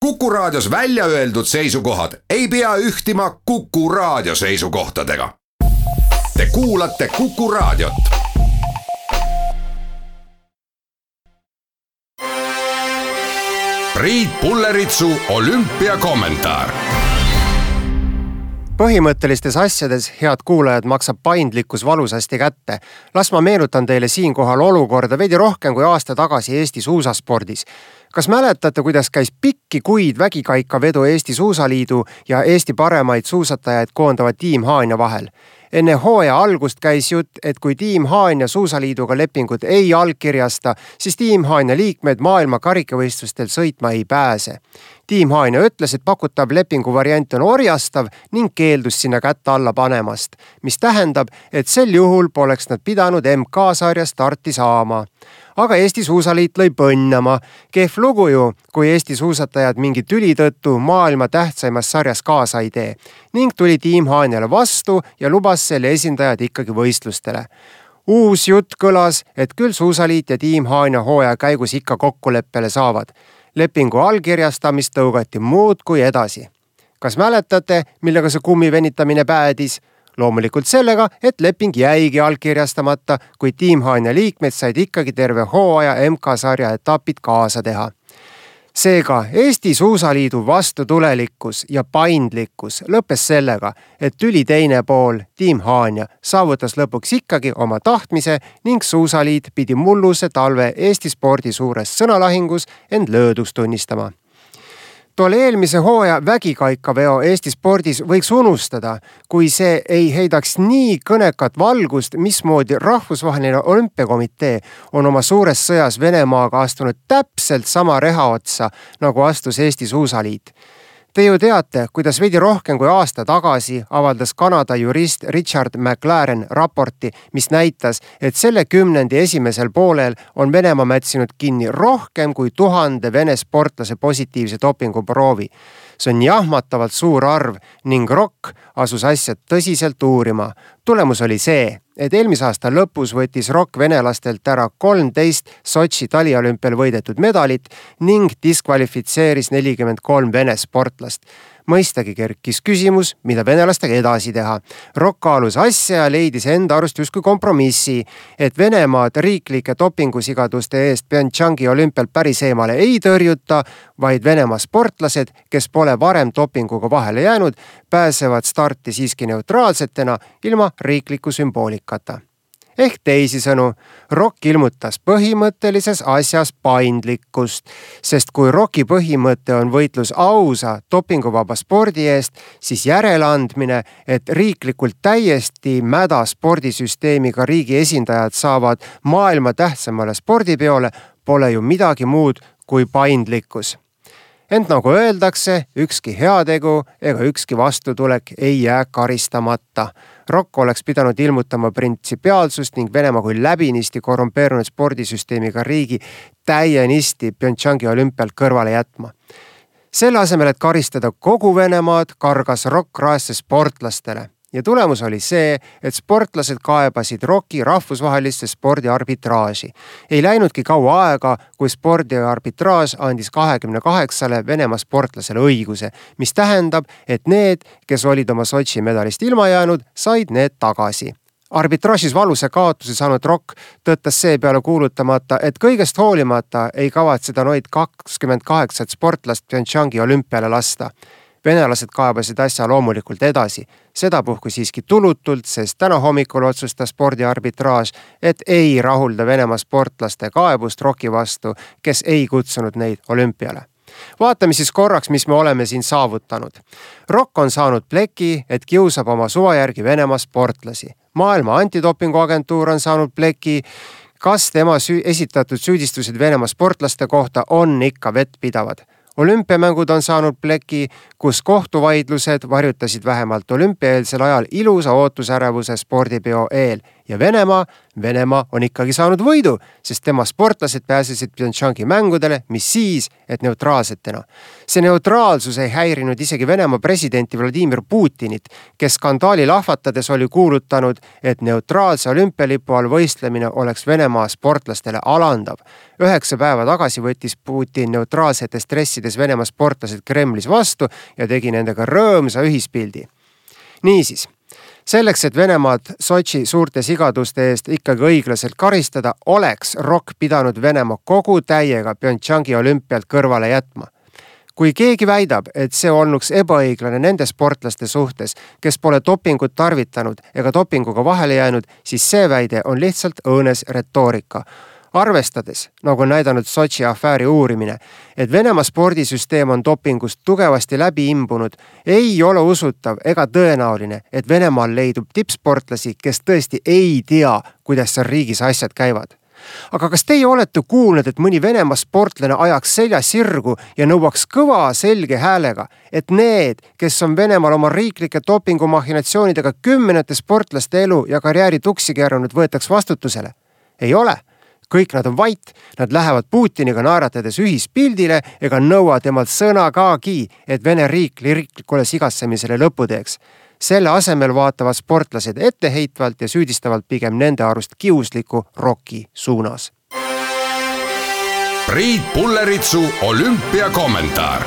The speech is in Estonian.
Kuku Raadios välja öeldud seisukohad ei pea ühtima Kuku Raadio seisukohtadega. Te kuulate Kuku Raadiot. Priit Pulleritsu olümpiakommentaar. Põhimõttelistes asjades, head kuulajad, maksab paindlikkus valusasti kätte. Las ma meenutan teile siinkohal olukorda veidi rohkem kui aasta tagasi Eesti suusaspordis. Kas mäletate, kuidas käis pikki kuid vägikaikavedu Eesti Suusaliidu ja Eesti paremaid suusatajaid koondava Tiim Haanja vahel? Enne hooaja algust käis jutt, et kui Tiim Haanja Suusaliiduga lepingut ei allkirjasta, siis Tiim Haanja liikmed maailma karikavõistlustel sõitma ei pääse. Tiim Haanja ütles, et pakutav lepingu variant on orjastav ning keeldus sinna kätte alla panemast, mis tähendab, et sel juhul poleks nad pidanud MK-sarja starti saama. Aga Eesti Suusaliit lõi põnnama. Kehv lugu ju, kui Eesti suusatajad mingi tüli tõttu maailma tähtsaimas sarjas kaasa ei tee. Ning tuli Tiim Haanjale vastu ja lubas selle esindajad ikkagi võistlustele. Uus jutt kõlas, et küll Suusaliit ja Tiim Haanja hooaja käigus ikka kokkuleppele saavad. Lepingu allkirjastamist tõugati muud kui edasi. Kas mäletate, millega see kummivenitamine päädis? Loomulikult sellega, et leping jäigi allkirjastamata, kui Tiim Haanja liikmed said ikkagi terve hooaja MK-sarja etapid kaasa teha. Seega Eesti Suusaliidu vastutulelikkus ja paindlikkus lõppes sellega, et tüli teine pool, Tiim Haanja, saavutas lõpuks ikkagi oma tahtmise ning Suusaliit pidi mulluse talve Eesti spordi suures sõnalahingus end lööduks tunnistama. Tolle eelmise hooaja vägikaikaveo Eesti spordis võiks unustada, kui see ei heidaks nii kõnekat valgust, mismoodi rahvusvaheline olümpiakomitee on oma suures sõjas Venemaaga astunud täpselt sama reha otsa, nagu astus Eesti Suusaliit. Te ju teate, kuidas veidi rohkem kui aasta tagasi avaldas Kanada jurist Richard McLaren raporti, mis näitas, et selle kümnendi esimesel poolel on Venemaa mätsinud kinni rohkem kui 1000 Vene sportlase positiivse dopinguproovi. See on jahmatavalt suur arv ning ROK asus asjad tõsiselt uurima. Tulemus oli see, et eelmise aasta lõpus võttis ROK venelastelt ära 13 Sotši taliolümpial võidetud medalit ning diskvalifitseeris 43 Vene sportlast. Mõistagi kerkis küsimus, mida venelastega edasi teha. ROK kaalus asja ja leidis enda arust justkui kompromissi, et Venemaad riiklike dopingusigaduste eest Pyeongchangi olümpial päris eemale ei tõrjuta, vaid Venemaa sportlased, kes pole varem dopinguga vahele jäänud, pääsevad starti siiski neutraalsetena ilma riikliku sümboolikata. Ehk teisisõnu, ROK ilmutas põhimõttelises asjas paindlikkust, sest kui ROK-i põhimõte on võitlus ausa dopinguvaba spordi eest, siis järeleandmine, et riiklikult täiesti mäda spordisüsteemiga riigi esindajad saavad maailma tähtsamale spordipeole, pole ju midagi muud kui paindlikkus. Ent nagu öeldakse, ükski heategu ega ükski vastutulek ei jää karistamata. ROK oleks pidanud ilmutama printsipiaalsust ning Venemaa kui läbinisti korrumpeerunud spordisüsteemiga riigi täienisti Pyeongchangi olümpialt kõrvale jätma. Selle asemel, et karistada kogu Venemaad, kargas ROK raesse sportlastele. Ja tulemus oli see, et sportlased kaebasid ROK-i rahvusvahelisse spordiarbitraaži. Ei läinudki kaua aega, kui spordiarbitraaž andis 28 Venemaa sportlasele õiguse, mis tähendab, et need, kes olid oma Sotši medalist ilma jäänud, said need tagasi. Arbitraažis valuse kaotuse saanud ROK tõttas seepeale kuulutamata, et kõigest hoolimata ei kavatseda noid 28 sportlast Pyeongchangi olümpiale lasta. Venelased kaebasid asja loomulikult edasi. Sedapuhku siiski tulutult, sest täna hommikul otsustas spordiarbitraaž, et ei rahulda Venemaa sportlaste kaebust ROK-i vastu, kes ei kutsunud neid olümpiale. Vaatame siis korraks, mis me oleme siin saavutanud. ROK on saanud pleki, et kiusab oma suva järgi Venemaa sportlasi. Maailma antidopinguagentuur on saanud pleki, kas tema esitatud süüdistused Venemaa sportlaste kohta on ikka vettpidavad. Olümpiamängud on saanud pleki, kus kohtuvaidlused varjutasid vähemalt olümpiaeelsel ajal ilusa ootusärevuse spordipeo eel Ja Venemaa on ikkagi saanud võidu, sest tema sportlased pääsesid Pyeongchangi mängudele, mis siis, et neutraalsetena. See neutraalsus ei häirinud isegi Venemaa presidenti Vladimir Putinit, kes skandaali lahvatades oli kuulutanud, et neutraalse olümpialipu all võistlemine oleks Venemaa sportlastele alandav. 9 päeva tagasi võttis Putin neutraalsetes dressides Venemaa sportlased Kremlis vastu ja tegi nendega rõõmsa ühispildi. Niisiis, selleks, et Venemaad Sotši suurte sigaduste eest ikkagi õiglaselt karistada, oleks ROK pidanud Venemaa kogu täiega Pyeongchangi olümpialt kõrvale jätma. Kui keegi väidab, et see olnuks ebaõiglane nende sportlaste suhtes, kes pole dopingut tarvitanud ega dopinguga vahele jäänud, siis see väide on lihtsalt õõnes retoorika. Arvestades, nagu on näidanud Sotši afääri uurimine, et Venemaa spordisüsteem on dopingust tugevasti läbi imbunud, ei ole usutav ega tõenäoline, et Venemaal leidub tippsportlasi, kes tõesti ei tea, kuidas seal riigis asjad käivad. Aga kas teie olete kuulnud, et mõni Venemaa sportlane ajaks selja sirgu ja nõuaks kõva selge häälega, et need, kes on Venemaal oma riiklike dopingumahhinatsioonidega 10 sportlaste elu ja karjääri tuksi keeranud, võetaks vastutusele? Ei ole. Kõik nad on vait, nad lähevad Putiniga naeratades ühispildile ega nõua temalt sõna kaagi, et Vene riiklikule sigatsemisele lõpu teeks. Selle asemel vaatavad sportlased etteheitvalt ja süüdistavalt pigem nende arust kiusliku ROK-i suunas. Priit Pulleritsu olümpiakommentaar.